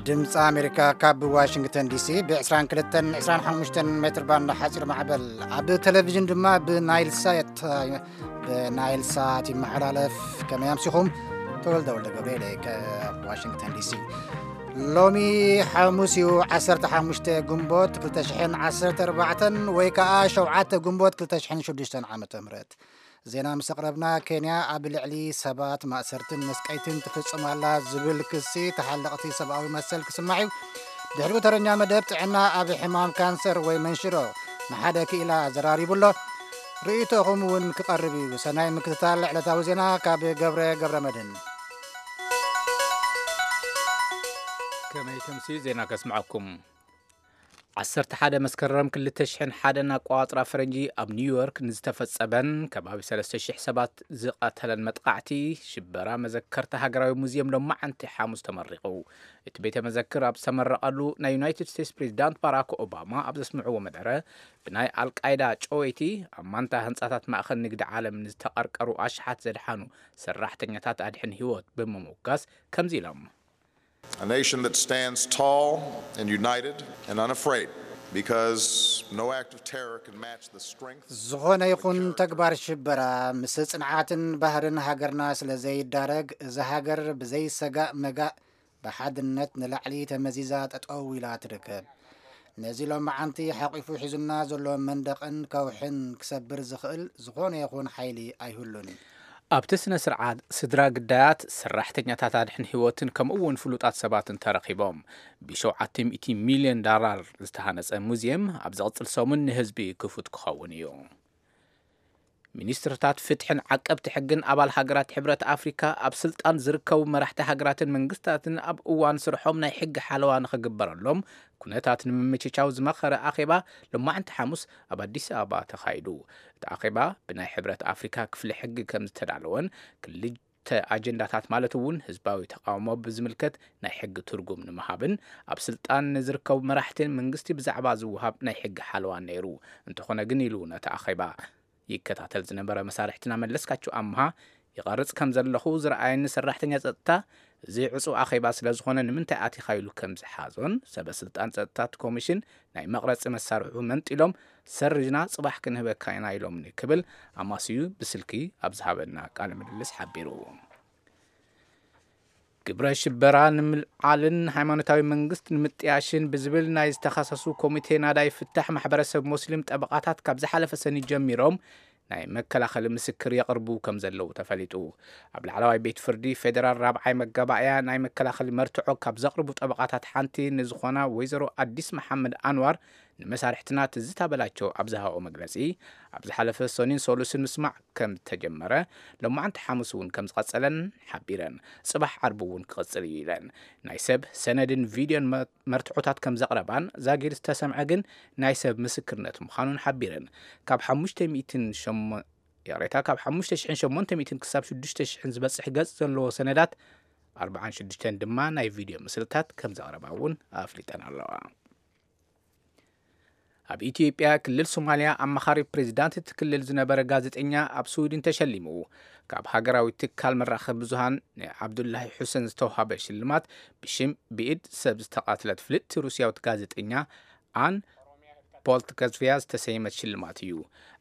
ድምፂ ኣሜሪካ ካብ ዋሽንግተን ዲሲ ብ22 25 ሜትር ባንድ ሓፂር ማዕበል፣ ኣብ ቴሌቪዥን ድማ ብናይል ሳት ብናይል ሳት ይመሓላለፍ። ከመይ ኣምሲኹም? ተወልደ ወልደ ገብርኤል ካብ ዋሽንግተን ዲሲ። ሎሚ ሓሙስ እዩ፣ ዓሰርተ ሓሙሽተ ግንቦት ክልተ ሽሕን ዓሰርተ ኣርባዕተን ወይ ከዓ ሸውዓተ ግንቦት ክልተ ሽሕን ሽዱሽተን ዓመተ ምህረት። ዜና ምስ ኣቕረብና፣ ኬንያ ኣብ ልዕሊ ሰባት ማእሰርትን መስቀይትን ትፍጽም ኣላ ዝብል ክሲ ተሓለቕቲ ሰብኣዊ መሰል ክስማዕ እዩ። ድሕሪኡ ተረኛ መደብ ጥዕና ኣብ ሕማም ካንሰር ወይ መንሽሮ ንሓደ ክኢላ ዘራሪቡ ኣሎ። ርእይቶኹም እውን ክቐርብ እዩ። ሰናይ ምክትታል ዕለታዊ ዜና ካብ ገብረ ገብረ መድህን። ከመይ ተምስዩ ዜና ከስምዐኩም። ዓሰርተ ሓደ መስከረም ክልተ ሽሕን ሓደን ኣቋጽራ ፈረንጂ ኣብ ኒውዮርክ ንዝተፈጸመን ከባቢ ሰለስተ ሽሕ ሰባት ዝቐተለን መጥቓዕቲ ሽበራ መዘከርታ ሃገራዊ ሙዚየም ሎማዓንቲ ሓሙስ ተመሪቑ። እቲ ቤተ መዘክር ኣብ ዝተመረቐሉ፣ ናይ ዩናይትድ ስቴትስ ፕሬዚዳንት ባራክ ኦባማ ኣብ ዘስምዕዎ መደረ፣ ብናይ ኣልቃይዳ ጨወይቲ ኣብ ማንታ ህንጻታት ማእኸል ንግዲ ዓለም ንዝተቐርቀሩ ኣሽሓት ዘድሓኑ ሰራሕተኛታት ኣድሕን ህይወት ብምምጓስ ከምዚ ኢሎም። A nation that stands tall and united and unafraid, because no act of terror can match the strength ዝኾነ ይኹን ተግባር ሽበራ ምስ ጽንዓትን ባህርን ሃገርና ስለ ዘይዳረግ፣ እዛ ሃገር ብዘይሰጋእ መጋእ ብሓድነት ንላዕሊ ተመዚዛ ጠጠው ኢላ ትርከብ። ነዚ ሎማዓንቲ ሓቂፉ ሒዙና ዘሎ መንደቕን ከውሕን ክሰብር ዝኽእል ዝኾነ ይኹን ሓይሊ ኣይህሉን። ኣብቲ ስነ ስርዓት፣ ስድራ ግዳያት፣ ሰራሕተኛታት ኣድሕን ህይወትን ከምኡ እውን ፍሉጣት ሰባትን ተረኺቦም። ብ700 ሚልዮን ዳላር ዝተሃነጸ ሙዚየም ኣብ ዝቕጽል ሰሙን ንህዝቢ ክፉት ክኸውን እዩ። ሚኒስትርታት ፍትሕን ዓቀብቲ ሕግን ኣባል ሃገራት ሕብረት ኣፍሪካ፣ ኣብ ስልጣን ዝርከቡ መራሕቲ ሃገራትን መንግስታትን ኣብ እዋን ስርሖም ናይ ሕጊ ሓለዋ ንኽግበረሎም ኩነታት ንምምችቻው ዝመኸረ ኣኼባ ሎማዕንቲ ሓሙስ ኣብ ኣዲስ ኣበባ ተኻይዱ። እቲ ኣኼባ ብናይ ሕብረት ኣፍሪካ ክፍሊ ሕጊ ከም ዝተዳለወን፣ ክልተ ኣጀንዳታት ማለት እውን ህዝባዊ ተቃውሞ ብዝምልከት ናይ ሕጊ ትርጉም ንምሃብን ኣብ ስልጣን ንዝርከቡ መራሕትን መንግስቲ ብዛዕባ ዝወሃብ ናይ ሕጊ ሓለዋን ነይሩ። እንተኾነ ግን ኢሉ ነቲ ኣኼባ ይከታተል ዝነበረ መሳርሕትና መለስካቸው ኣምሃ፣ ይቐርጽ ከም ዘለኹ ዝረኣየኒ ሰራሕተኛ ጸጥታ፣ እዚ ዕጹው ኣኼባ ስለ ዝኾነ ንምንታይ ኣቲኻ ኢሉ ከም ዝሓዞን፣ ሰበ ስልጣን ጸጥታ እቲ ኮሚሽን ናይ መቕረጺ መሳርሑ መንጢሎም፣ ሰሪዝና ጽባሕ ክንህበካ ኢና ኢሎምኒ ክብል ኣማስዩ ብስልኪ ኣብ ዝሃበና ቃለ ምልልስ ሓቢሩ። ግብረ ሽበራ ንምልዓልን ሃይማኖታዊ መንግስት ንምጥያሽን ብዝብል ናይ ዝተኸሰሱ ኮሚቴ ናዳይ ፍታሕ ማሕበረሰብ ሙስሊም ጠበቓታት ካብ ዝሓለፈ ሰኒ ጀሚሮም ናይ መከላኸሊ ምስክር የቕርቡ ከም ዘለዉ ተፈሊጡ። ኣብ ላዕለዋይ ቤት ፍርዲ ፌዴራል ራብዓይ መጋባእያ ናይ መከላኸሊ መርትዖ ካብ ዘቕርቡ ጠበቓታት ሓንቲ ንዝኾና ወይዘሮ ኣዲስ መሓመድ ኣንዋር ንመሳርሕትና ትዝታ በላቸው ኣብ ዝሃቦ መግለጺ፣ ኣብ ዝሓለፈ ሰኑን ሰሉስን ምስማዕ ከም ዝተጀመረ፣ ሎማዓንቲ ሓሙስ እውን ከም ዝቐጸለን ሓቢረን፣ ጽባሕ ዓርቢ እውን ክቕጽል እዩ ኢለን። ናይ ሰብ ሰነድን ቪድዮን መ-፣ መርትዖታት ከም ዘቕረባን ዛጊድ ዝተሰምዐ ግን ናይ ሰብ ምስክርነት ምዃኑን ሓቢረን። ካብ ሓሙሽተ ሚእትን ሸሞ-፣ ይቕሬታ፣ ካብ ሓሙሽተ ሽሕን ሸሞንተ ሚእትን ክሳብ ሽዱሽተ ሽሕን ዝበጽሕ ገጽ ዘለዎ ሰነዳት፣ ኣርባዓን ሽዱሽተን ድማ ናይ ቪድዮ ምስልታት ከም ዘቕረባ እውን ኣፍሊጠን ኣለዋ። ኣብ ኢትዮጵያ ክልል ሶማልያ ኣማኻሪ ፕሬዚዳንት እቲ ክልል ዝነበረ ጋዜጠኛ ኣብ ስዊድን ተሸሊሙ። ካብ ሃገራዊ ትካል መራኸቢ ብዙሃን ንዓብዱላሂ ሑሰን ዝተውሃበ ሽልማት፣ ብሽም ብኢድ ሰብ ዝተቓትለት ፍልጥቲ ሩስያዊት ጋዜጠኛ ኣን ፖልትከዝቪያ ዝተሰየመት ሽልማት እዩ።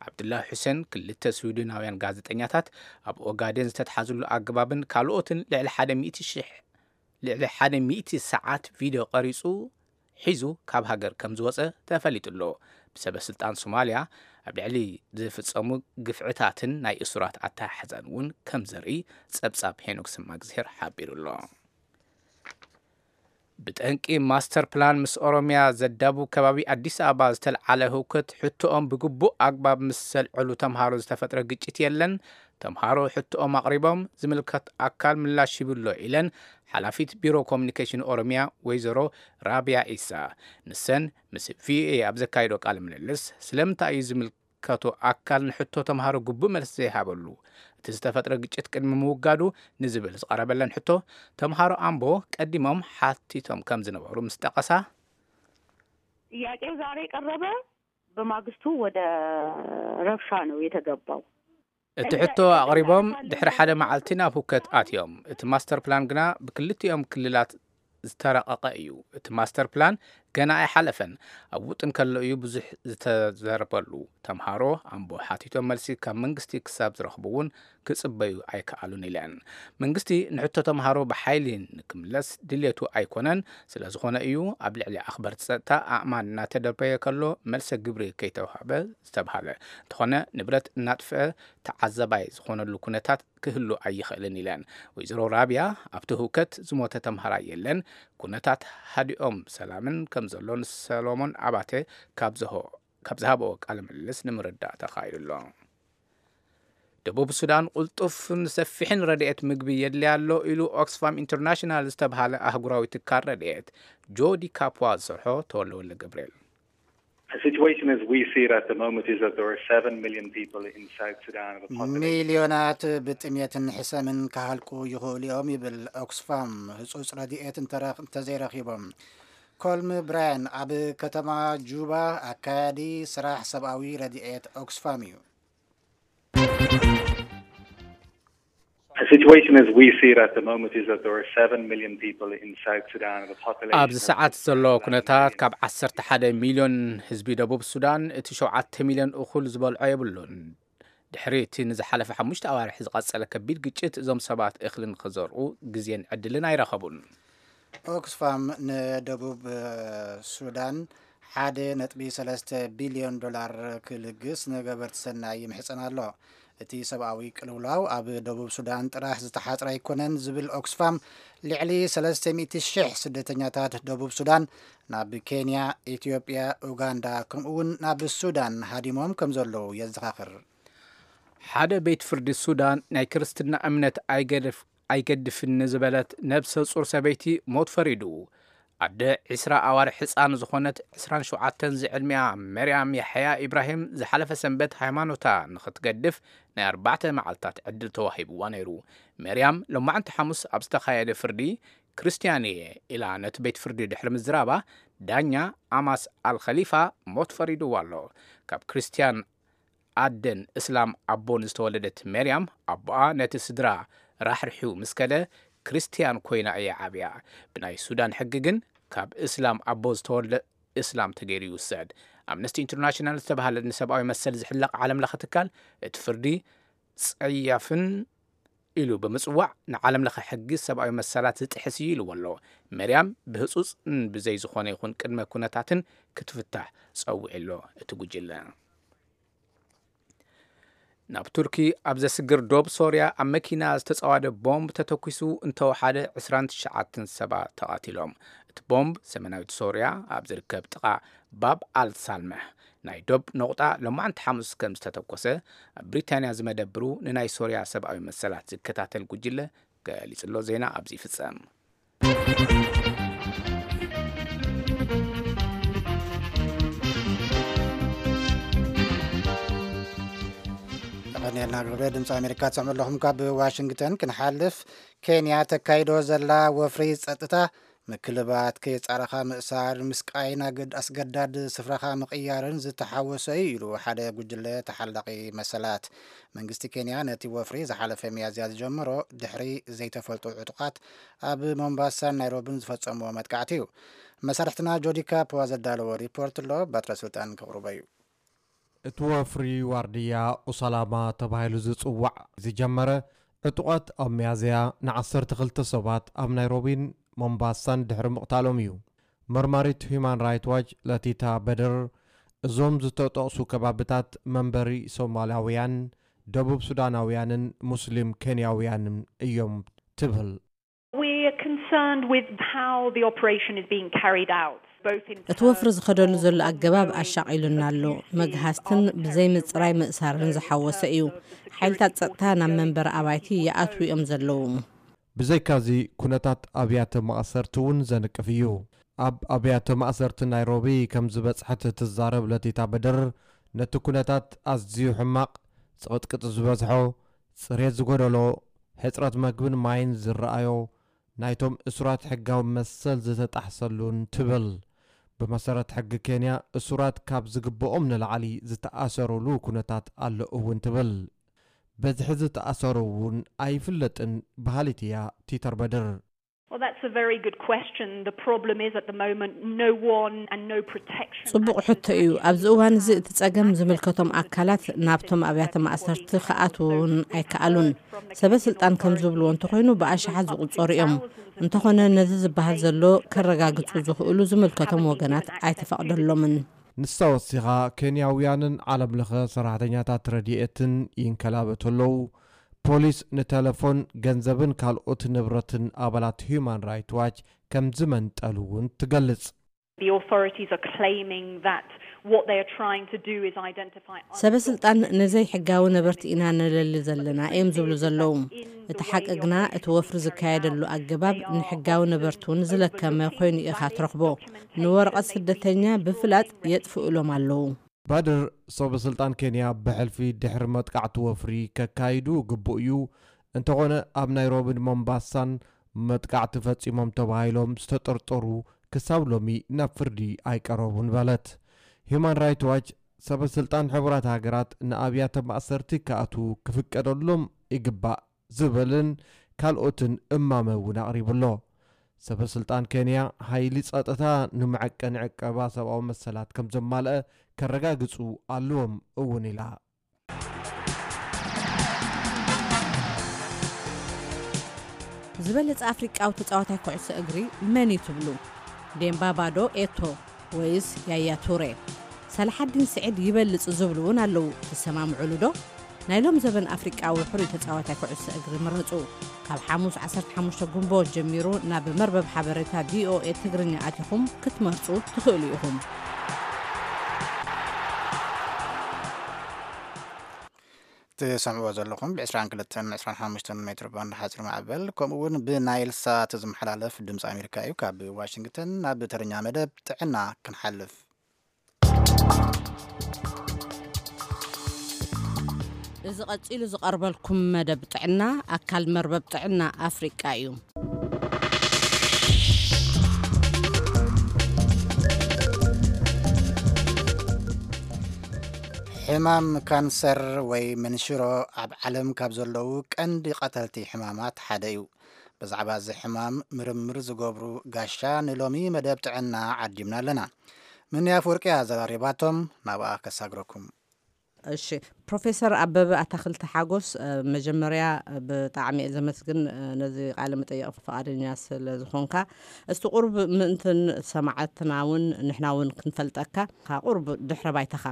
ዓብዱላሂ ሑሰን ክልተ ስዊድናውያን ጋዜጠኛታት ኣብ ኦጋዴን ዝተትሓዝሉ ኣገባብን ካልኦትን ልዕሊ ሓደ ሚእቲ ሺሕ፣ ልዕሊ ሓደ ሚእቲ ሰዓት ቪድዮ ቀሪጹ ሒዙ ካብ ሃገር ከም ዝወጸ ተፈሊጡ ኣሎ። ብሰበ ስልጣን ሶማልያ ኣብ ልዕሊ ዝፍጸሙ ግፍዕታትን ናይ እሱራት ኣተሓሕዛን እውን ከም ዘርኢ ጸብጻብ ሄኖክ ሰማግዜር ሓቢሩ ኣሎ። ብጠንቂ ማስተር ፕላን ምስ ኦሮሚያ ዘዳቡ ከባቢ ኣዲስ ኣበባ ዝተልዓለ ህውከት፣ ሕቶኦም ብግቡእ ኣግባብ ምስ ዘልዐሉ ተምሃሮ ዝተፈጥረ ግጭት የለን። ተምሃሮ ሕቶኦም ኣቕሪቦም፣ ዝምልከት ኣካል ምላሽ ሂቡ ኣሎ ኢለን ሓላፊት ቢሮ ኮሚኒኬሽን ኦሮሚያ ወይዘሮ ራቢያ ኢሳ። ንሰን ምስ ቪኦኤ ኣብ ዘካየዶ ቃለ ምልልስ፣ ስለምንታይ እዩ ዝምልከቶ ኣካል ንሕቶ ተምሃሮ ግቡእ መልሲ ዘይሃበሉ? እቲ ዝተፈጥረ ግጭት ቅድሚ ምውጋዱ ንዝብል ዝቐረበለን ሕቶ፣ ተምሃሮ ኣምቦ ቀዲሞም ሓቲቶም ከም ዝነበሩ ምስ ጠቐሳ፣ ጥያቄው ዛሬ ቀረበ፣ በማግስቱ ወደ ረብሻ ነው የተገባው። እቲ ሕቶ ኣቕሪቦም ድሕሪ ሓደ መዓልቲ ናብ ሁከት ኣትዮም። እቲ ማስተር ፕላን ግና ብክልቲኦም ክልላት ዝተረቐቐ እዩ። እቲ ማስተር ፕላን ገና ኣይሓለፈን። ኣብ ውጥን ከሎ እዩ ብዙሕ ዝተዘርበሉ። ተምሃሮ ኣምቦ ሓቲቶም መልሲ ካብ መንግስቲ ክሳብ ዝረኽቡ እውን ክጽበዩ ኣይከኣሉን ኢለን። መንግስቲ ንሕቶ ተምሃሮ ብሓይሊ ንክምለስ ድሌቱ ኣይኮነን። ስለ ዝኾነ እዩ ኣብ ልዕሊ ኣኽበርቲ ጸጥታ ኣእማን እናተደርበየ ከሎ መልሰ ግብሪ ከይተዋህበ ዝተብሃለ። እንተኾነ ንብረት እናጥፍአ ተዓዘባይ ዝኾነሉ ኩነታት ክህሉ ኣይኽእልን ኢለን። ወይዘሮ ራብያ ኣብቲ ህውከት ዝሞተ ተምሃራይ የለን። ኩነታት ሃዲኦም ሰላምን ከም ዘሎ ንሰሎሞን ኣባተ ካብ ዝሃቦ ቃለ ምልልስ ንምርዳእ ተኻኢሉ ኣሎ። ደቡብ ሱዳን ቅልጡፍን ሰፊሕን ረድኤት ምግቢ የድልያ ኣሎ ኢሉ ኦክስፋም ኢንተርናሽናል ዝተብሃለ ኣህጉራዊ ትካል ረድኤት። ጆዲ ካፕዋ ዝሰርሖ ተወልደ ወልደ ገብርኤል። ሚልዮናት ብጥምየትን ሕሰምን ክሃልቁ ይኽእሉ እዮም ይብል ኦክስፋም። ህጹጽ ረድኤት እንተዘይረኺቦም። ኮልም ብራያን ኣብ ከተማ ጁባ ኣካያዲ ስራሕ ሰብኣዊ ረድኤት ኦክስፋም እዩ። ኣብዚ ሰዓት ዘሎ ኩነታት ካብ ዓሰርተ ሓደ ሚልዮን ህዝቢ ደቡብ ሱዳን እቲ ሸውዓተ ሚልዮን እኹል ዝበልዖ የብሉን። ድሕሪ እቲ ንዝሓለፈ ሓሙሽተ ኣዋርሕ ዝቐጸለ ከቢድ ግጭት እዞም ሰባት እኽሊ ንኽዘርኡ ግዜን ዕድልን ኣይረኸቡን። ኦክስፋም ንደቡብ ሱዳን ሓደ ነጥቢ ሰለስተ ቢልዮን ዶላር ክልግስ ንገበርቲ ሰናይ ይምሕጸን ኣሎ። እቲ ሰብኣዊ ቅልውላው ኣብ ደቡብ ሱዳን ጥራሕ ዝተሓጽረ ኣይኮነን ዝብል ኦክስፋም፣ ልዕሊ ሰለስተ ሚእቲ ሽሕ ስደተኛታት ደቡብ ሱዳን ናብ ኬንያ፣ ኢትዮጵያ፣ ኡጋንዳ ከምኡውን ናብ ሱዳን ሃዲሞም ከም ዘለዉ የዘኻኽር። ሓደ ቤት ፍርዲ ሱዳን ናይ ክርስትና እምነት ኣይገድፍን ንዝበለት ነብሰ ጹር ሰበይቲ ሞት ፈሪዱ። ኣደ ዕስራ ኣዋርሕ ህጻን ዝኾነት ዕስራን ሸውዓተን ዝዕድሚኣ መርያም ያሕያ ኢብራሂም ዝሓለፈ ሰንበት ሃይማኖታ ንኽትገድፍ ናይ ኣርባዕተ መዓልታት ዕድል ተዋሂብዋ ነይሩ። መርያም ሎማዕንቲ ሓሙስ ኣብ ዝተኻየደ ፍርዲ ክርስትያን እየ ኢላ ነቲ ቤት ፍርዲ ድሕሪ ምዝራባ ዳኛ ኣማስ ኣልኸሊፋ ሞት ፈሪድዋ ኣሎ። ካብ ክርስትያን ኣደን እስላም ኣቦን ዝተወለደት መርያም ኣቦኣ ነቲ ስድራ ራሕሪሑ ምስ ከደ ክርስትያን ኮይና እያ ዓብያ። ብናይ ሱዳን ሕጊ ግን ካብ እስላም ኣቦ ዝተወልደ እስላም ተገይሩ ይውሰድ። ኣምነስቲ ኢንተርናሽናል ዝተባህለ ንሰብኣዊ መሰል ዝሕለቕ ዓለም ለኸ ትካል እቲ ፍርዲ ጸያፍን ኢሉ ብምጽዋዕ ንዓለም ለኸ ሕጊ ሰብኣዊ መሰላት ዝጥሕስ እዩ ኢልዎ ኣሎ። መርያም ብህጹጽን ብዘይ ዝኾነ ይኹን ቅድመ ኩነታትን ክትፍታሕ ጸዊዑ ኣሎ እቲ ጉጅለ። ናብ ቱርኪ ኣብ ዘስግር ዶብ ሶርያ ኣብ መኪና ዝተጸዋደ ቦምብ ተተኲሱ እንተወሓደ ዕስራን ትሽዓተን ሰባት ተቓቲሎም። እቲ ቦምብ ሰሜናዊት ሶርያ ኣብ ዝርከብ ጥቓ ባብ ኣል ሳልመሕ ናይ ዶብ ነቑጣ ሎማዕንቲ ሓሙስ ከም ዝተተኮሰ ኣብ ብሪታንያ ዝመደብሩ ንናይ ሶርያ ሰብኣዊ መሰላት ዝከታተል ጉጅለ ገሊጹ ኣሎ። ዜና ኣብዚ ይፍጸም። የቐንየልና ግብረ ድምፂ ኣሜሪካ ትሰምዑ ኣለኹም። ካብ ዋሽንግተን ክንሓልፍ፣ ኬንያ ተካይዶ ዘላ ወፍሪ ፀጥታ ምክልባት፣ ከየጻረኻ ምእሳር፣ ምስቃይን ኣገድ- ኣስገዳድ ስፍራኻ ምቕያርን ዝተሓወሰ እዩ ኢሉ ሓደ ጉጅለ ተሓላቒ መሰላት። መንግስቲ ኬንያ ነቲ ወፍሪ ዝሓለፈ ሚያዝያ ዝጀመሮ ድሕሪ ዘይተፈልጡ ዕጡቓት ኣብ ሞምባሳን ናይሮቢን ዝፈጸምዎ መጥቃዕቲ እዩ። መሳርሕትና ጆዲ ካፖ ዘዳለዎ ሪፖርት ኣሎ፣ በትረ ስልጣን ከቕርቦ እዩ። እቲ ወፍሪ ዋርድያ ኡሳላማ ተባሂሉ ዝጽዋዕ ዝጀመረ ዕጡቓት ኣብ ሚያዝያ ንዓሰርተ ክልተ ሰባት ኣብ ናይሮቢን ሞምባሳን ድሕሪ ምቕታሎም እዩ። መርማሪት ሁማን ራይት ዋች ለቲታ በድር፣ እዞም ዝተጠቕሱ ከባብታት መንበሪ ሶማላውያን፣ ደቡብ ሱዳናውያንን ሙስሊም ኬንያውያንን እዮም ትብል። We're concerned with how the operation is being carried out, both in እቲ ወፍሪ ዝኸደሉ ዘሎ ኣገባብ ኣሻቒሉና ኣሎ። መግሃስትን ብዘይ ምጽራይ ምእሳርን ዝሓወሰ እዩ። ሓይልታት ጸጥታ ናብ መንበሪ ኣባይቲ ይኣትዉ እዮም ዘለዉ። ብዘይካዚ ኩነታት ኣብያተ ማእሰርቲ እውን ዘንቅፍ እዩ። ኣብ ኣብያተ ማእሰርቲ ናይሮቢ ከም ዝበጽሐት እትዛረብ ለቲታ በድር፣ ነቲ ኩነታት ኣዝዩ ሕማቕ፣ ጽቕጥቅጥ ዝበዝሖ፣ ጽሬት ዝጎደሎ፣ ሕጽረት መግብን ማይን ዝረኣዮ፣ ናይቶም እሱራት ሕጋዊ መሰል ዝተጣሕሰሉን ትብል። ብመሰረት ሕጊ ኬንያ እሱራት ካብ ዝግብኦም ንላዕሊ ዝተኣሰሩሉ ኩነታት ኣሎ እውን ትብል። በዝሒ ዝተኣሰሩ እውን ኣይፍለጥን በሃሊት እያ ቲተር በድር። Well, that's a very good question. The problem is at the moment, no one and no protection. ጽቡቕ ሕቶ እዩ። ኣብዚ እዋን እዚ እቲ ጸገም ዝምልከቶም ኣካላት ናብቶም ኣብያተ ማእሰርቲ ክኣትዉ እውን ኣይከኣሉን። ሰበ ስልጣን ከም ዝብልዎ እንተኾይኑ ብኣሽሓት ዝቑጸሩ እዮም። እንተኾነ ነዚ ዝበሃል ዘሎ ከረጋግጹ ዝኽእሉ ዝምልከቶም ወገናት ኣይተፈቕደሎምን። ንሳ ወሲኻ፣ ኬንያውያንን ዓለም ለኸ ሰራሕተኛታት ረድኤትን ይንከላበቱ ኣለዉ። ፖሊስ ንቴሌፎን፣ ገንዘብን ካልኦት ንብረትን ኣባላት ሂዩማን ራይት ዋች ከም ዝመንጠሉ እውን ትገልጽ። The authorities are claiming that what they are trying to do is identify ሰበ ስልጣን ንዘይሕጋዊ ነበርቲ ኢና ንለሊ ዘለና እዮም ዝብሉ ዘለዉ። እቲ ሓቂ ግና እቲ ወፍሪ ዝካየደሉ ኣገባብ ንሕጋዊ ነበርቲ እውን ዝለከመ ኮይኑ ኢኻ ትረኽቦ። ንወረቐት ስደተኛ ብፍላጥ የጥፍእሎም ኣለዉ። ባድር፣ ሰበ ስልጣን ኬንያ ብሕልፊ ድሕሪ መጥቃዕቲ ወፍሪ ከካይዱ ግቡእ እዩ። እንተኾነ ኣብ ናይሮቢን ሞምባሳን መጥቃዕቲ ፈጺሞም ተባሂሎም ዝተጠርጠሩ ክሳብ ሎሚ ናብ ፍርዲ ኣይቀረቡን በለት። ሂዩማን ራይት ዋች፣ ሰበ ስልጣን ሕቡራት ሃገራት ንኣብያተ ማእሰርቲ ክኣትዉ ክፍቀደሎም ይግባእ ዝብልን ካልኦትን እማመ እውን ኣቕሪቡ ኣሎ። ሰበ ስልጣን ኬንያ፣ ሓይሊ ጸጥታ ንመዐቀኒ ዕቀባ ሰብኣዊ መሰላት ከም ዘማልአ ከረጋግጹ ኣለዎም እውን ኢላ። ዝበለጸ ኣፍሪቃዊ ተጻዋታይ ኩዕሶ እግሪ መን እዩ ትብሉ? ዴምባባ ዶ፣ ኤቶ ወይስ ያያ ቱሬ? ሰላሓዲን ስዒድ ይበልጽ ዝብሉ እውን ኣለዉ። ትሰማምዑሉ ዶ? ናይ ሎም ዘበን ኣፍሪቃዊ ሕሩይ ተጻዋታይ ኩዕሶ እግሪ ምረጹ። ካብ ሓሙስ ዓሰርተ ሓሙሽተ ጉንቦት ጀሚሩ ናብ መርበብ ሓበሬታ ቪኦኤ ትግርኛ ኣቲኹም ክትመርጹ ትኽእሉ ኢኹም። ትሰምዕዎ ዘለኹም ብ22 ብ25 ሜትሮ ባንድ ሓፂር ማዕበል፣ ከምኡ እውን ብናይል ሳት ዝመሓላለፍ ድምፂ ኣሜሪካ እዩ። ካብ ዋሽንግተን ናብ ትግርኛ መደብ ጥዕና ክንሓልፍ። እዚ ቀጺሉ ዝቐርበልኩም መደብ ጥዕና ኣካል መርበብ ጥዕና ኣፍሪቃ እዩ። ሕማም ካንሰር ወይ መንሽሮ ኣብ ዓለም ካብ ዘለዉ ቀንዲ ቀተልቲ ሕማማት ሓደ እዩ። ብዛዕባ እዚ ሕማም ምርምር ዝገብሩ ጋሻ ንሎሚ መደብ ጥዕና ዓዲምና ኣለና። ምንያ ኣፍወርቂ ኣዘራሪባቶም፣ ናብኣ ከሳግረኩም። እሺ፣ ፕሮፌሰር ኣበበ ኣታክልቲ ሓጎስ፣ እ፣ መጀመርያ ብጣዕሚ እየ ዘመስግን፣ እ፣ ነዚ ቃለ መጠየቕ ፈቓደኛ ስለ ዝኾንካ። እስቲ ቁሩብ ምእንትን ሰማዕትና እውን ንሕና እውን ክንፈልጠካ፣ ካ ቁሩብ ድሕረ ባይታኻ።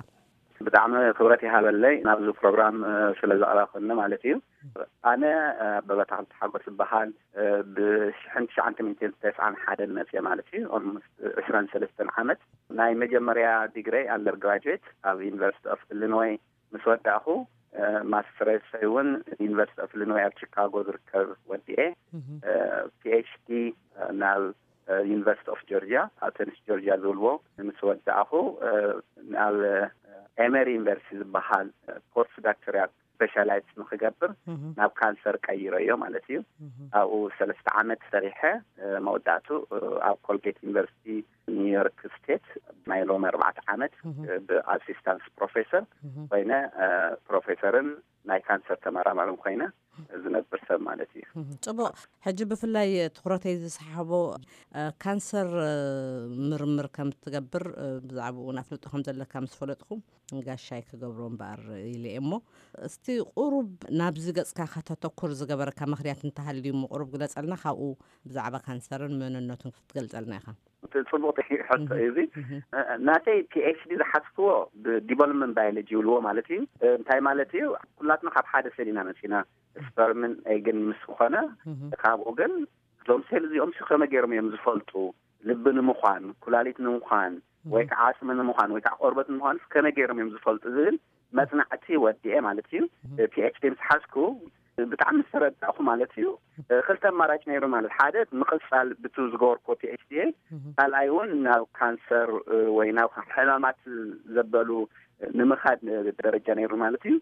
ብጣዕሚ ክብረት ይሃበለይ ናብዚ ፕሮግራም፣ እ፣ ስለ ዘቕረብክኒ ማለት እዩ። ኣነ፣ እ፣ ኣበበ ኣታክልቲ ሓጎስ ይበሃል። እ፣ ብ1991 መፅየ ማለት እዩ። ኦልሞስት 23 ዓመት። ናይ መጀመርያ ዲግሪ ኣንደር ግራጁዌት ኣብ ዩኒቨርሲቲ ኦፍ ኢሊኖይ ምስ ወዳእኹ፣ እ፣ ማስተርሰይ እውን ዩኒቨርሲቲ ኦፍ ኢሊኖይ ኣብ ቺካጎ ዝርከብ ወዲኤ፣ እ፣ ፒኤችዲ ናብ፣ እ፣ ዩኒቨርሲቲ ኦፍ ጆርጂያ፣ ኣተንስ ጆርጂያ ዝብልዎ ምስ ወዳእኹ፣ እ፣ ናብ፣ እ፣ ኤመሪ ዩኒቨርሲቲ ዝበሃል፣ እ፣ ፖስት ዳክቶሪያል ስፔሻላይዝ ንክገብር ናብ ካንሰር ቀይረዮ ማለት እዩ። ኣብኡ ሰለስተ ዓመት ሰሪሐ፣ እ፣ መወዳእቱ፣ እ፣ ኣብ ኮልጌት ዩኒቨርሲቲ ኒውዮርክ ስቴት ናይ ሎሚ ኣርባዕተ ዓመት፣ እ፣ ብኣሲስታንስ ፕሮፌሰር ኮይነ፣ እ፣ ፕሮፌሰርን ናይ ካንሰር ተመራማርን ኮይነ ዝነብር ሰብ ማለት እዩ። ጽቡቕ። ሕጂ ብፍላይ ትኹረተይ ዝሰሓቦ፣ እ፣ ካንሰር፣ እ፣ ምርምር ከም እትገብር፣ እ፣ ብዛዕባኡ እውን ኣፍልጦ ከም ዘለካ ምስ ፈለጥኩ፣ ጋሻይ ክገብሮ እምበኣር ኢለ እየ እሞ፣ እስቲ ቁሩብ ናብዚ ገጽካ ከተተኩር ዝገበረካ ምኽንያት እንተሃልዩ እሞ ቁሩብ ግለጸልና፣ ካብኡ ብዛዕባ ካንሰርን መንነቱን ክትገልጸልና ኢኻ። ጽቡቕ ሕቶ እዩ እዚ። ናተይ ፒኤችዲ ዝሓዝክዎ ብዲቨሎፕመንት ባዮሎጂ ይብልዎ ማለት እዩ። እንታይ ማለት እዩ? ኩላትና ካብ ሓደ ሴል ኢና መፂና፣ ስፐርምን ኤግን ምስ ዝኾነ፣ ካብኡ ግን እዞም ሴል እዚኦም ሲ ከመይ ገይሮም እዮም ዝፈልጡ? ልቢ ንምዃን፣ ኩላሊት ንምዃን፣ ወይ ከዓ ዓፅሚ ንምዃን፣ ወይ ከዓ ቆርበት ንምዃን ከመይ ገይሮም እዮም ዝፈልጡ ዝብል መፅናዕቲ ወዲኤ ማለት እዩ። ፒኤችዲ ምስ ሓዝኩ ብጣዕሚ ዝተረዳእኩ ማለት እዩ። ክልተ ኣማራጭ ነይሩ ማለት፣ ሓደ ምቕፃል ብቱ ዝገበርኩ ፒኤችዲ፣ ካልኣይ እውን ናብ ካንሰር ወይ ናብ ሕማማት ዘበሉ ንምኻድ ደረጃ ነይሩ ማለት እዩ።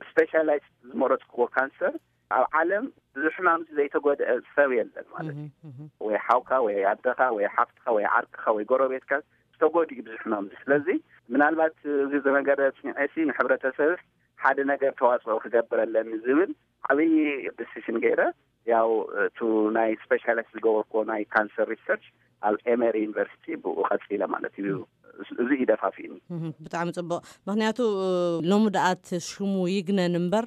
ስፔሻላይዝ ዝመረፅክዎ ካንሰር ኣብ ዓለም ብዙሕ ሕማም ዘይተጎድአ ሰብ የለን ማለት እዩ። ወይ ሓውካ ወይ ኣደኻ ወይ ሓፍትኻ ወይ ዓርክኻ ወይ ጎረቤትካ ዝተጎድኡ ብዙሕ ሕማም። ስለዚ ምናልባት እዚ ዝነገረ ኣፅኒዐ ሲ ንሕብረተሰብ ሓደ ነገር ተዋፅኦ ክገብር ኣለኒ ዝብል ዓብዪ ዲሲሽን ገይረ ያው እቱ ናይ ስፔሻላይስ ዝገበርኩዎ ናይ ካንሰር ሪሰርች ኣብ ኤመሪ ዩኒቨርሲቲ ብኡ ቀፂለ ማለት እዩ። እዚ እዩ ደፋፊኒ። ብጣዕሚ ፅቡቅ። ምክንያቱ ሎሚ ደኣ እቲ ሽሙ ይግነን እምበር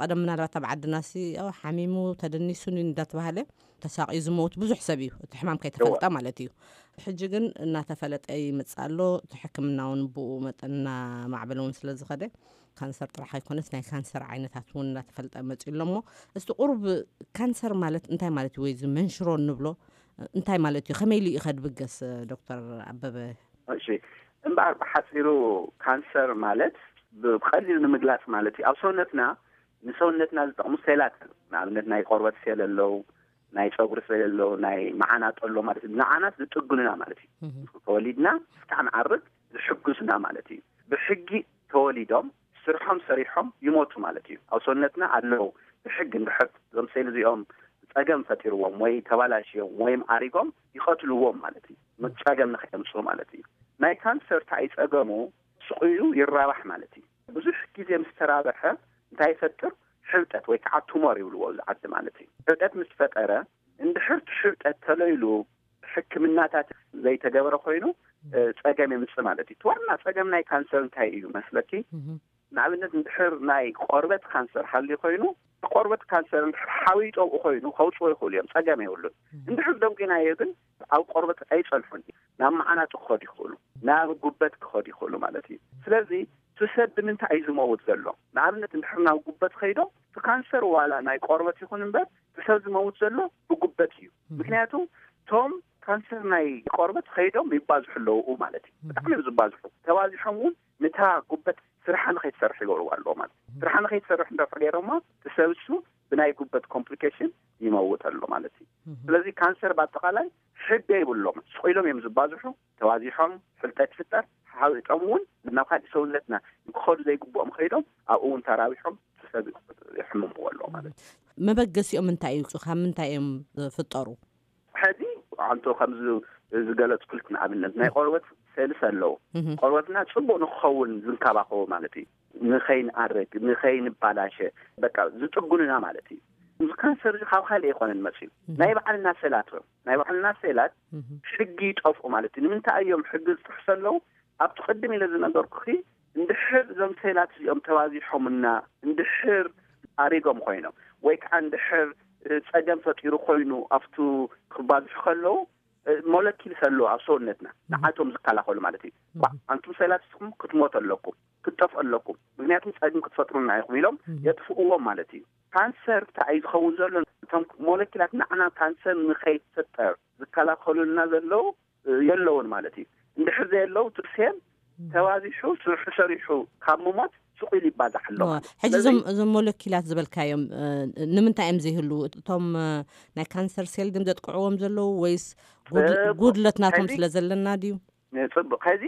ቀደም ምናልባት ኣብ ዓድና ሲ ሓሚሙ ተደኒሱን እንዳተባሃለ ተሳቂዩ ዝመውት ብዙሕ ሰብ እዩ፣ እቲ ሕማም ከይተፈልጠ ማለት እዩ። ሕጂ ግን እናተፈለጠ ይመፅእ ኣሎ። እቲ ሕክምና እውን ብኡ መጠን እናማዕበለ እውን ስለዝኸደ ካንሰር ጥራሕ ኣይኮነስ ናይ ካንሰር ዓይነታት እውን እናተፈልጠ መፅኡ ኣሎ። እሞ እስቲ ቁሩብ ካንሰር ማለት እንታይ ማለት እዩ ወይ እዚ መንሽሮ እንብሎ እንታይ ማለት እዩ? ከመይ ኢሉ እዩ ከ ድብገስ? ዶክተር ኣበበ። እሺ፣ እምበኣር ብሓፂሩ ካንሰር ማለት ብቐሊሉ ንምግላፅ ማለት እዩ። ኣብ ሰውነትና ንሰውነትና ዝጠቕሙ ሴላት፣ ንኣብነት ናይ ቆርበት ሴል ኣለዉ፣ ናይ ፀጉሪ ሴል ኣለዉ፣ ናይ መዓናጦ ኣሎ ማለት እዩ። ንዓናት ዝጥግኑና ማለት እዩ። ተወሊድና እስካዕ ንዓርግ ዝሕግዙና ማለት እዩ። ብሕጊ ተወሊዶም ስርሖም ሰሪሖም ይሞቱ ማለት እዩ። ኣብ ሰውነትና ኣለዉ ብሕጊ። እንድሕር እዞም ሴል እዚኦም ፀገም ፈጢርዎም ወይ ተባላሽዮም ወይም ኣሪጎም ይቐትልዎም ማለት እዩ። ጸገም ንኸየምፅኡ ማለት እዩ። ናይ ካንሰር እንታይ ጸገሙ? ስቑዩ ይራባሕ ማለት እዩ። ብዙሕ ግዜ ምስ ተራበሐ እንታይ ይፈጥር? ሕብጠት ወይ ከዓ ቱሞር ይብልዎ ኣብዚ ዓዲ ማለት እዩ። ሕብጠት ምስ ፈጠረ እንድሕር እቲ ሕብጠት ተለይሉ ሕክምናታት ዘይተገበረ ኮይኑ ጸገም የምፅእ ማለት እዩ። እቲ ዋና ጸገም ናይ ካንሰር እንታይ እዩ መስለኪ? ንኣብነት እንድሕር ናይ ቆርበት ካንሰር ሃልዩ ኮይኑ ቆርበት ካንሰር እንድሕር ሓዊ ጠብኡ ኮይኑ ከውፅዎ ይኽእሉ እዮም፣ ፀገም የብሉን። እንድሕር ደንጉናዮ ግን ኣብ ቆርበት ኣይፀንሑን፣ ናብ መዓናጡ ክኸዱ ይኽእሉ፣ ናብ ጉበት ክኸዱ ይኽእሉ ማለት እዩ። ስለዚ እቲ ሰብ ብምንታይ እዩ ዝመውት ዘሎ? ንኣብነት እንድሕር ናብ ጉበት ከይዶም እቲ ካንሰር ዋላ ናይ ቆርበት ይኹን እምበር እቲ ሰብ ዝመውት ዘሎ ብጉበት እዩ። ምክንያቱ እቶም ካንሰር ናይ ቆርበት ከይዶም ይባዝሑ ኣለዉ ማለት እዩ። ብጣዕሚ እዮም ዝባዝሑ። ተባዚሖም እውን ንታ ጉበት ስርሓ ንኸይትሰርሕ ይገብርዋ ኣለዎ ማለት እዩ። ስርሓ ንኸይትሰርሕ እንድሕር ገይሮማ እቲ ሰብ እሱ ብናይ ጉበት ኮምፕሊኬሽን ይመውት ኣሎ ማለት እዩ። ስለዚ ካንሰር ብኣጠቓላይ ሕገ ይብሎም። ስቕ ኢሎም እዮም ዝባዝሑ። ተባዚሖም ፍልጠት ይፍጠር፣ ሓዊጦም እውን ናብ ካሊእ ሰውነትና ክኸዱ ዘይግብኦም ከይዶም ኣብኡ እውን ተራቢሖም እቲ ሰብ ይሕምምዎ ኣለዎ ማለት እዩ። መበገሲኦም እንታይ እዩ? ካብ ምንታይ እዮም ዝፍጠሩ? ሕዚ ኣንቶ ከምዚ ዝገለፅኩልክ ንኣብነት ናይ ቆርበት ሴልስ ኣለዉ። ቆርበትና ፅቡቅ ንክኸውን ዝንከባኸቡ ማለት እዩ። ንኸይንኣርግ ንኸይንባላሸ በቃ ዝጥጉንና ማለት እዩ። እዚ ካንሰር እዚ ካብ ካልእ ኣይኮነን መፅኡ፣ ናይ ባዕልና ሴላት እዮም። ናይ ባዕልና ሴላት ሕጊ ይጠፍኡ ማለት እዩ። ንምንታይ እዮም ሕጊ ዝጥሕሱ ኣለዉ? ኣብቲ ቅድም ኢለ ዝነገርኩኺ እንድሕር እዞም ሴላት እዚኦም ተባዚሖምና እንድሕር ኣሪጎም ኮይኖም ወይ ከዓ እንድሕር ፀገም ፈጢሩ ኮይኑ ኣብቱ ክባዝሑ ከለዉ ሞለኪልስ ኣለዉ ኣብ ሰውነትና ንዓቶም ዝከላኸሉ ማለት እዩ። ባ- ኣንቱም ሴላት ንስኹም ክትሞቱ ኣለኩም፣ ክትጠፍኡ ኣለኩም፣ ምክንያቱም ፀገም ክትፈጥሩና ኢኹም ኢሎም የጥፍእዎም ማለት እዩ። ካንሰር እንታይ እዩ ዝኸውን ዘሎ? እቶም ሞለኪላት ንዓና ካንሰር ንኸይፈጠር ዝከላኸሉልና ዘለዉ የለውን ማለት እዩ። እንድሕር ዘየለዉ እቲ ሴል ተባዚሑ ስርሑ ሰሪሑ ካብ ምሞት ስቕ ኢሉ ይባዛሕ ኣሎ ማለት እዩ። ሕጂ ስለዚ እዞም እዞም ሞለኪላት ዝበልካዮም እ፣ ንምንታይ እዮም ዘይህልዉ? እቶም እ፣ ናይ ካንሰር ሴል ድም ዘጥቅዕዎም ዘለዉ ወይስ ጉድ- እ፣ ጉድለት ናቶም ሕዚ ስለ ዘለና ድዩ? እ፣ ጽቡቕ። ሕዚ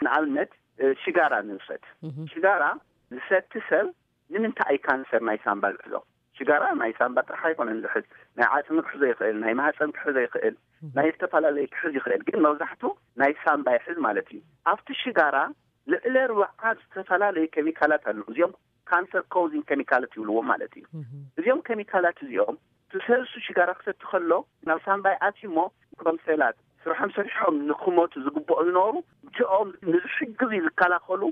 ንኣብነት እ፣ ሽጋራ ንውሰድ። ሽጋራ ዝሰቲ ሰብ ንምንታይ እዩ ካንሰር ናይ ሳምባ ዝሕዞ? ሽጋራ ናይ ሳምባ ጥራሕ ኣይኮነን ዝሕዝ፣ ናይ ዓፅሚ ክሕዞ ይኽእል፣ ናይ ማህፀን ክሕዞ ይኽእል፣ ናይ ዝተፈላለዩ ክሕዝ ይኽእል። ግን መብዛሕቱ ናይ ሳምባ ይሕዝ ማለት እዩ። ኣብቲ ሽጋራ ልዕሊ ኣርባዓ ዝተፈላለዩ ኬሚካላት ኣለዉ። እዚኦም ካንሰር ኮዚንግ ኬሚካላት ይብልዎም ማለት እዩ። እዚኦም ኬሚካላት እዚኦም እቲ ሰብ እሱ ሽጋራ ክሰቲ ከሎ ናብ ሳምባ ይኣትዩ እሞ እቶም ሴላት ስርሖም ሰሪሖም ንክሞቱ ዝግብኦ ዝነበሩ እቲኦም ንዝሕግዙ ዝከላኸሉ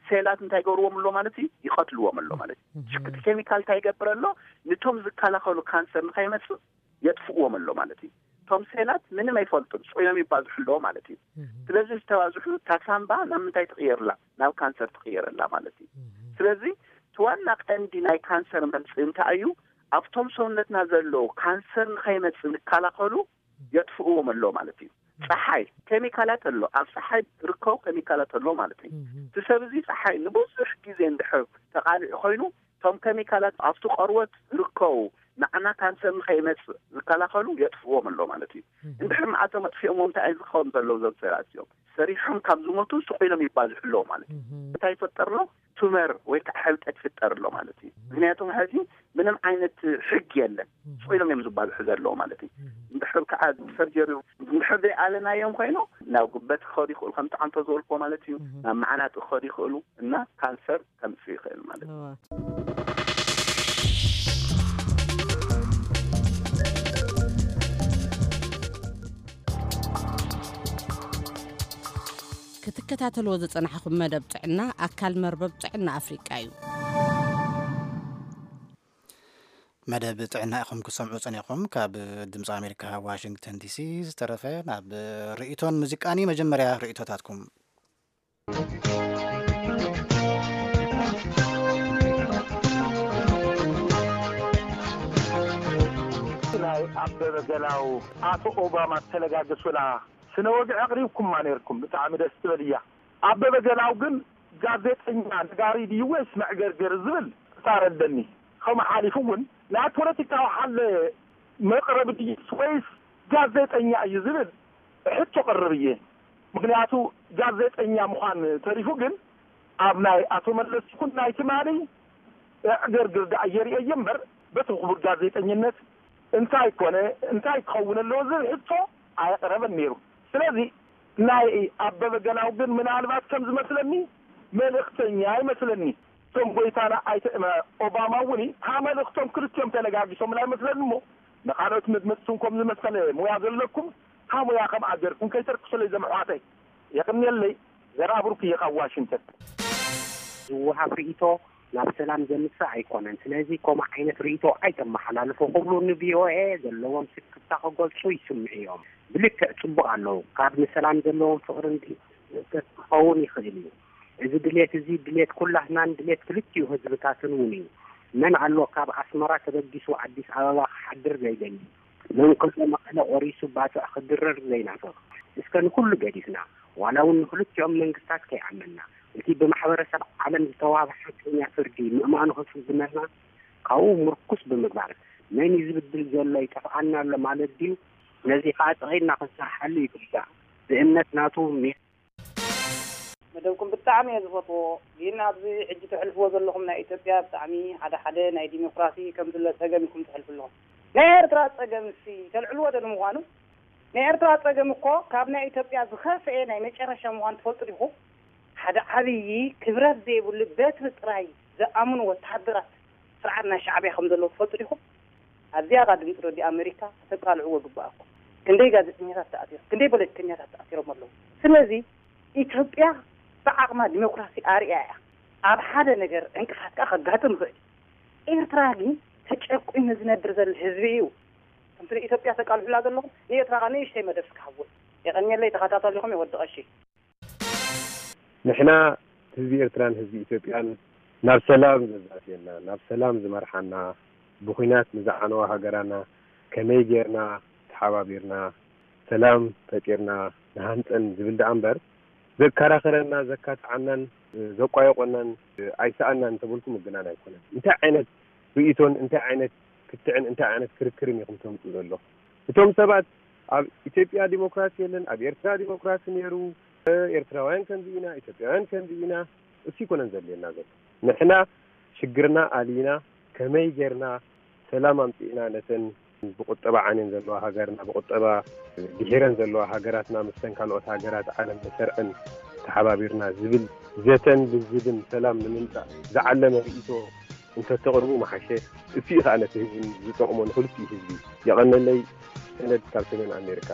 ሴላት እንታይ ይገብርዎም ኣሎ ማለት እዩ? ይቐትልዎም ኣሎ ማለት እዩ። ሽክቲ ኬሚካል እንታይ ይገብር ኣሎ? ንቶም ዝከላኸሉ ካንሰር ንኸይመፅእ የጥፍእዎም ኣሎ ማለት እዩ። እቶም ሴላት ምንም ኣይፈልጡን፣ ስቕ ኢሎም ይባዝሑ ኣለዎ ማለት እዩ። ስለዚ ዝተባዝሑ እታ ሳምባ ናብ ምንታይ ትቕየርላ? ናብ ካንሰር ትቕየረላ ማለት እዩ። ስለዚ እቲ ዋና ቀንዲ ናይ ካንሰር መምፅኢ እንታይ እዩ? ኣብቶም ሰውነትና ዘለዉ ካንሰር ንኸይመፅእ ዝከላኸሉ የጥፍእዎም ኣሎ ማለት እዩ። ፀሓይ ኬሚካላት ኣሎ፣ ኣብ ፀሓይ ዝርከቡ ኬሚካላት ኣሎ ማለት እዩ። እቲ ሰብ እዚ ፀሓይ ንብዙሕ ግዜ እንድሕር ተቓሊዑ ኮይኑ እቶም ኬሚካላት ኣብቲ ቆርበት ዝርከቡ ንዓና ካንሰር ንኸይመፅእ ዝከላኸሉ የጥፍዎም ኣሎ ማለት እዩ። እንድሕር ንኣቶም ኣጥፊኦምዎም እንታይ ዝኸውን ዘለዉ እዞም ሴላት እዮም ሰሪሖም ካብ ዝሞቱ ስቑ ኢሎም ይባዝሑ ኣለዉ ማለት እዩ። እንታይ ይፈጠር ኣሎ? ቱመር ወይ ከዓ ሕብጠት ይፍጠር ኣሎ ማለት እዩ። ምክንያቱ ሕዚ ምንም ዓይነት ሕግ የለን። ስቑ ኢሎም እዮም ዝባዝሑ ዘለዉ ማለት እዩ። እንድሕር ከዓ ሰርጀሪ እንድሕር ዘይኣለናዮም ኮይኑ ናብ ጉበት ክኸዱ ይኽእሉ፣ ከምቲ ዓንቶ ዝበልክዎ ማለት እዩ። ናብ መዓናጢ ክኸዱ ይኽእሉ እና ካንሰር ከምፅእ ይኽእል ማለት እዩ። እዋ። ክትከታተልዎ ዝጸናሕኹም መደብ ጥዕና ኣካል መርበብ ጥዕና ኣፍሪቃ እዩ። መደብ ጥዕና ኢኹም ክሰምዑ ጸኒሕኩም። ካብ ድምፂ ኣሜሪካ ዋሽንግተን ዲሲ ዝተረፈ ናብ ርእይቶን ሙዚቃን እዩ። መጀመርያ ርእይቶታትኩም። ናይ ኣበበ ገላው ኣቶ ኦባማ ተለጋገሱላ ስነ ወግዒ ኣቕሪብኩማ ነይርኩም። ብጣዕሚ ደስ ትብል እያ። ኣበበ ገላው ግን ጋዜጠኛ ነጋሪ ድዩ ወይስ መዕገርገር ዝብል ክታረደኒ። ከምኡ ሓሊፉ እውን ናይ ፖለቲካዊ ሓለ መቕረቢ ድዩስ ወይስ ጋዜጠኛ እዩ ዝብል ሕቶ ቀርብ እየ። ምኽንያቱ ጋዜጠኛ ምዃን ተሪፉ ግን ኣብ ናይ ኣቶ መለስ ይኹን ናይ ትማሊ ዕግርግር ደኣ የርእየ እየ እምበር በቲ ክቡር ጋዜጠኝነት እንታይ ኮነ እንታይ ክኸውን ኣለዎ ዝብል ሕቶ ኣየቕረበን ነይሩ። ስለዚ ናይ ኣበበ ገላው ግን ምናልባት ከም ዝመስለኒ መልእኽተኛ ይመስለኒ። እቶም ጎይታና ኣይተ ኦባማ እውን እታ መልእኽቶም ክልቲኦም ተለጋጊሶምላ ይመስለኒ እሞ ንኻልኦት መድመፅቱን ከም ዝመሰለ ሙያ ዘለኩም እታ ሙያ ከም ኣገርኩም ከይተርክሱለይ ዘምሕዋተይ። የቕንየለይ። ዘርኣ ብሩክ እየ ካብ ዋሽንግተን። ዝወሃብ ርእይቶ ናብ ሰላም ዘምጽእ ኣይኮነን። ስለዚ ከምኡ ዓይነት ርእይቶ ኣይተመሓላልፉ ክብሉ ንቪኦኤ ዘለዎም ስክፍታ ክገልጹ ይስምዑ እዮም። ብልክዕ ጽቡቕ ኣለዉ። ካብ ንሰላም ዘለዎም ፍቕሪ ክኸውን ይኽእል እዩ። እዚ ድሌት እዚ ድሌት ኩላህናን ድሌት ክልቲኡ ህዝብታትን እውን እዩ። መን ኣሎ ካብ ኣስመራ ተበጊሱ ኣዲስ ኣበባ ክሓድር ዘይደሊ? መን ከሎ መቐለ ቆሪሱ ባጽዕ ክድረር ዘይናፍቕ? እስከ ንኹሉ ገዲፍና፣ ዋላ እውን ንኽልቲኦም መንግስታት ከይኣመንና፣ እቲ ብማሕበረሰብ ዓለም ዝተዋህበ ሓቀኛ ፍርዲ ምእማኑ ክፍዝመና ካብኡ ምርኩስ ብምግባር፣ መን እዩ ዝብድል ዘሎ ይጠፍኣና ኣሎ ማለት ድዩ? ነዚ ከኣ ጸቒጥና ክንሰርሓሉ ይግባእ። ብእምነት ናቱ ሜ- መደብኩም ብጣዕሚ እየ ዝፈትዎ፣ ግን ኣብዚ ሕጂ ተሕልፍዎ ዘለኹም ናይ ኢትዮጵያ ብጣዕሚ ሓደ ሓደ ናይ ዲሞክራሲ ከም ዝለ ጸገም ኢኹም ተሕልፉ ኣለኹም። ናይ ኤርትራ ጸገም እሲ ተልዕልዎ ዶ ንምዃኑ? ናይ ኤርትራ ጸገም እኮ ካብ ናይ ኢትዮጵያ ዝኸፍኤ ናይ መጨረሻ ምዃኑ ትፈልጡ ዲኹም? ሓደ ዓብዪ ክብረት ዘይብሉ በትሪ ጥራይ ዝኣምኑ ወተሃደራት ስርዓት ናይ ሻዕብያ ከም ዘለዉ ትፈልጡ ዲኹም? ኣብዚኣ ኻ ድምፂ ሬድዮ ኣመሪካ ከተቃልዕዎ ግባኣኩም። ክንደይ ጋዜጠኛታት ተኣሲሮም፣ ክንደይ ፖለቲከኛታት ተኣሲሮም ኣለዉ። ስለዚ ኢትዮጵያ ብዓቕማ ዲሞክራሲ ኣርእያ እያ። ኣብ ሓደ ነገር ዕንቅፋት ከኣ ከጋጥም ይኽእል እዩ። ኤርትራ ግን ተጨቁኑ ዝነብር ዘሎ ህዝቢ እዩ። ከምቲ ንኢትዮጵያ ተቃልሑላ ዘለኹም ንኤርትራ ከኣ ንእሽተይ መደብ እስኪ ሃብዎ። የቐንየለይ፣ ተኸታተልኹም እየ ወዲ ቀሺ። ንሕና ህዝቢ ኤርትራን ህዝቢ ኢትዮጵያን ናብ ሰላም ዘዛትየና፣ ናብ ሰላም ዝመርሓና፣ ብኹናት ንዝዓነዋ ሃገራና ከመይ ጌርና ተሓባቢርና ሰላም ፈጢርና ንሃንጸን ዝብል ደኣ እምበር፣ ዘከራኽረና፣ ዘካትዓናን ዘቋየቆናን ኣይሰኣናን እንተበልኩ ምግናን ኣይኮነን። እንታይ ዓይነት ርእይቶን እንታይ ዓይነት ክትዕን እንታይ ዓይነት ክርክርን ኢኹም ተምጽኡ ዘለኹም? እቶም ሰባት ኣብ ኢትዮጵያ ዲሞክራሲ የለን፣ ኣብ ኤርትራ ዲሞክራሲ ነይሩ፣ ኤርትራውያን ከምዚ ኢና፣ ኢትዮጵያውያን ከምዚ ኢና፣ እሱ ይኮነን ዘድልየና ዘሎ። ንሕና ሽግርና ኣልይና ከመይ ጌርና ሰላም ኣምጺእና ነተን ብቁጠባ ዓንየን ዘለዋ ሃገርና ብቁጠባ ድሒረን ዘለዋ ሃገራትና ምስተን ካልኦት ሃገራት ዓለም ንሰርዐን ተሓባቢርና ዝብል ዘተን ልዝብን ሰላም ንምምጻእ ዝዓለመ ርእይቶ እንተተቕርቡ መሓሸ። እሱ እዩ ከኣ ነቲ ህዝቢ ዝጠቕሞ ንክልቲኡ ህዝቢ። የቐነለይ። ሰነድ ካብ ሰሜን ኣሜሪካ።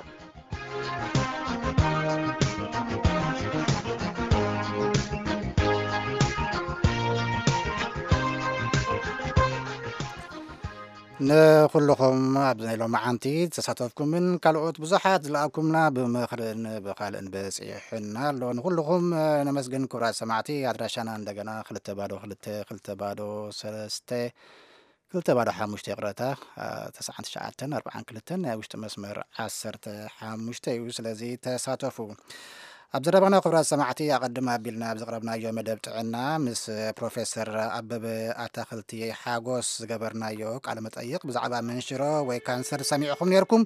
ንኹልኹም ኣብዚ ናይ ሎማዓንቲ ዝተሳተፍኩምን ካልኦት ብዙሓት ዝለኣኩምና ብምኽርን ብኻልእን በፂሑና ኣሎ። ንኹልኹም ነመስግን ክቡራት ሰማዕቲ። ኣድራሻና እንደገና ክልተ ባዶ ክልተ ክልተ ባዶ ሰለስተ ክልተ ባዶ ሓሙሽተ ይቕረታ፣ አ፣ ተስዓን ትሽዓተን ኣርባዓን ክልተን ናይ ውሽጢ መስመር ዓሰርተ ሓሙሽተ እዩ። ስለዚ ተሳተፉ። ኣብ ዘረባና ክቡራት ሰማዕቲ ኣቐድም ኣቢልና ኣብ ዘቕረብናዮ መደብ ጥዕና ምስ ፕሮፌሰር ኣበበ ኣታኽልቲ ሓጎስ ዝገበርናዮ ቃለ መጠይቕ ብዛዕባ መንሽሮ ወይ ካንሰር ሰሚዕኹም ነይርኩም።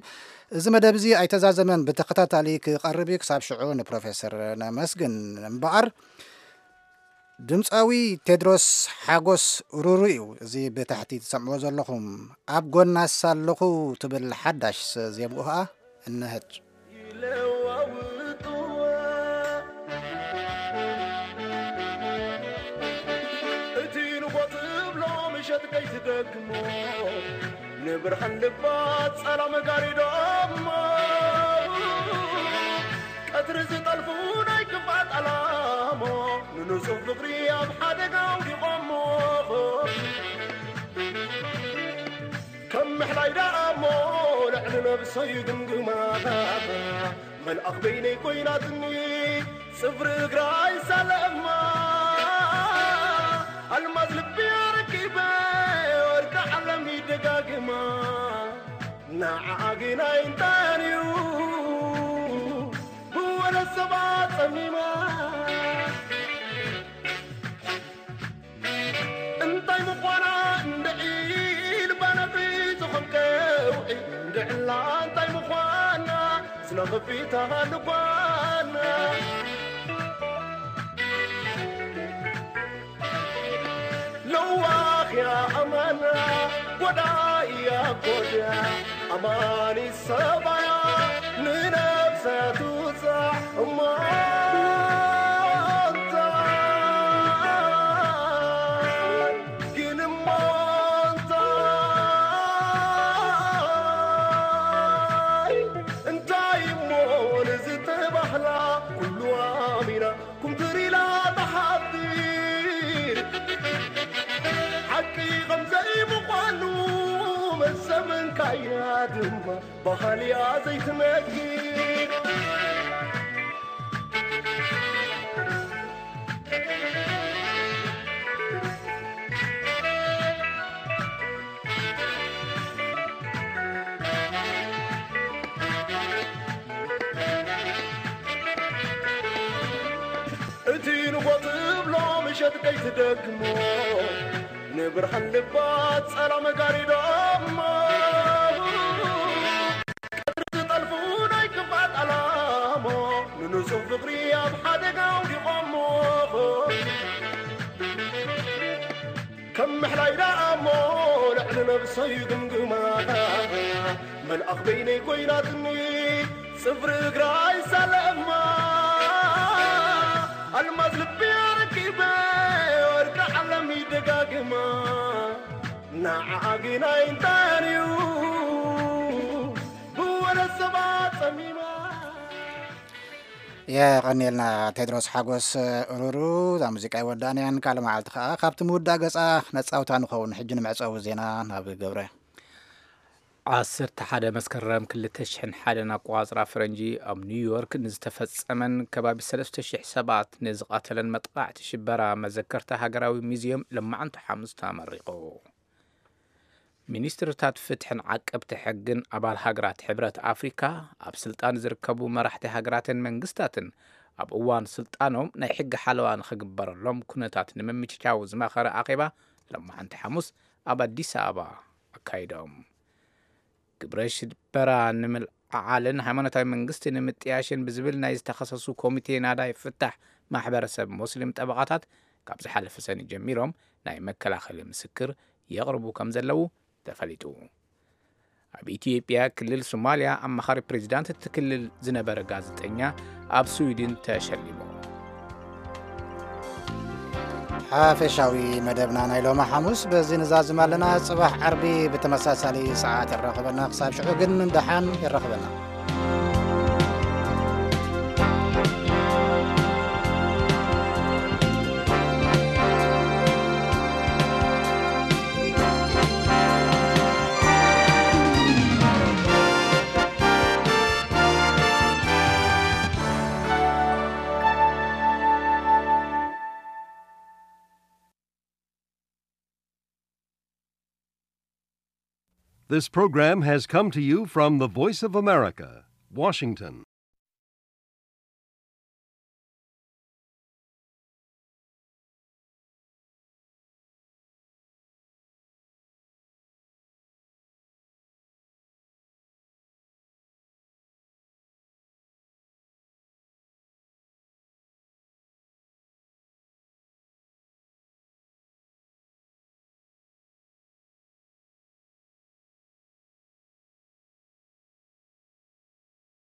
እዚ መደብ እዚ ኣይተዛዘመን፣ ብተኸታታሊ ክቐርብ እዩ። ክሳብ ሽዑ ንፕሮፌሰር ነመስግን እምበኣር ድምፃዊ ቴድሮስ ሓጎስ ሩሩ እዩ። እዚ ብታሕቲ ትሰምዕዎ ዘለኹም ኣብ ጎና ሳለኹ ትብል ሓዳሽ ዜምኡ ኸዓ እነሀት። ይለዋውጥዋ እቲ ንቦ ትብሎ ምሸት ከይትደግሞ ንብርሃን ልባ ጸላም ጋሪዶሞ ቀትሪ ዝጠልፉ ናይ ክፋት ምሕላይ ደኣ እሞ ልዕሊ ነብሰይ ግምግማ፣ መልኣኽ በይነይ ኮይናትኒ፣ ጽፍሪ እግራ ኣይሳለማ። ኣልማዝ ልቢ ኣረኪበ፣ ወርቂ ዓለም ይደጋግማ። ንዓኣ ግናይ እንታይ እዩ ብወለ ሰባት ጸሚማ? እንታይ ምዃና እንድዒ ልባ ነፊቱ ከም ከውዒ፣ እንድዕላ እንታይ ምዃና ስለ ከፊታ ልባና። ለዋኽያ ኣማና፣ ጎዳያ ጎድያ፣ ኣማኒ ሰባያ፣ ንነብሳ ትውጻዕ እሞ እንታይ፣ ግን እሞ እንታይ፣ እንታይ እሞ ንዝተባህላ ኩሉ ኣሚና፣ ኩምትር ኢላ ትሓብር። ሓቂ ከም ዘይምዃኑ መሰመንካያ ድማ ባህልያ ዘይትነግር። እቲ ንጎ ትብሎ ምሸት ከይትደግሞ፣ ንብርሃን ልባ ጸላም ጋሪዶሞ። ቀትሪ ዝጠልፉ ናይ ክፋት ኣላሞ፣ ንንጹህ ፍቕሪ ኣብ ሓደጋ ኣውዲቖሞ። ከም ምሕላይ ደኣ እሞ ልዕሊ ነብሰይ ግምግማ፣ መልኣኽ በይነይ ኮይናትኒ፣ ጽፍሪ እግራ ኣይሳለማ። ኣልማዝ ልቢ ኣረኪበ፣ ወርቂ ዓለም ይደጋግማ። ንዓኣ ግናይ እንታይ እዩ ብወለ ሰባት ጸሚማ። የቐንየልና ቴድሮስ ሓጎስ ሩሩ። እዛ ሙዚቃ ይወዳእናያን ካልእ መዓልቲ ከኣ ካብቲ ምውዳእ ገጻ ነጻውታ ንኸውን። ሕጂ ንመዕጸዊ ዜና ናብ ገብረ። ዓሰርተ ሓደ መስከረም ክልተ ሽሕን ሓደን ኣቆጻጽራ ፈረንጂ ኣብ ኒውዮርክ ንዝተፈጸመን ከባቢ ሰለስተ ሽሕ ሰባት ንዝቐተለን መጥቓዕቲ ሽበራ መዘከርታ ሃገራዊ ሙዝየም ለማዕንቲ ሓሙስ ተመሪቑ። ሚኒስትርታት ፍትሕን ዓቀብቲ ሕግን ኣባል ሃገራት ሕብረት ኣፍሪካ ኣብ ስልጣን ዝርከቡ መራሕቲ ሃገራትን መንግስታትን ኣብ እዋን ስልጣኖም ናይ ሕጊ ሓለዋ ንኽግበረሎም ኩነታት ንምምችቻው ዝመኸረ ኣኼባ ለማዕንቲ ሓሙስ ኣብ ኣዲስ ኣበባ ኣካይዶም። ግብረ ሽበራ ንምልዓዓልን ሃይማኖታዊ መንግስቲ ንምጥያሽን ብዝብል ናይ ዝተኸሰሱ ኮሚቴ ናዳይ ፍታሕ ማሕበረሰብ ሞስሊም ጠበቓታት ካብ ዝሓለፈ ሰኒ ጀሚሮም ናይ መከላኸሊ ምስክር የቕርቡ ከም ዘለዉ ተፈሊጡ። ኣብ ኢትዮጵያ ክልል ሶማልያ ኣማኻሪ ፕሬዚዳንት እቲ ክልል ዝነበረ ጋዜጠኛ ኣብ ስዊድን ተሸሊሙ። ሓፈሻዊ መደብና ናይ ሎሚ ሓሙስ በዚ ንዛዝም ኣለና። ጽባሕ ዓርቢ ብተመሳሳሊ ሰዓት ይራኸበና። ክሳብ ሽዑ ግን ደሓን ይራኸበና። This program has come to you from the Voice of America, Washington.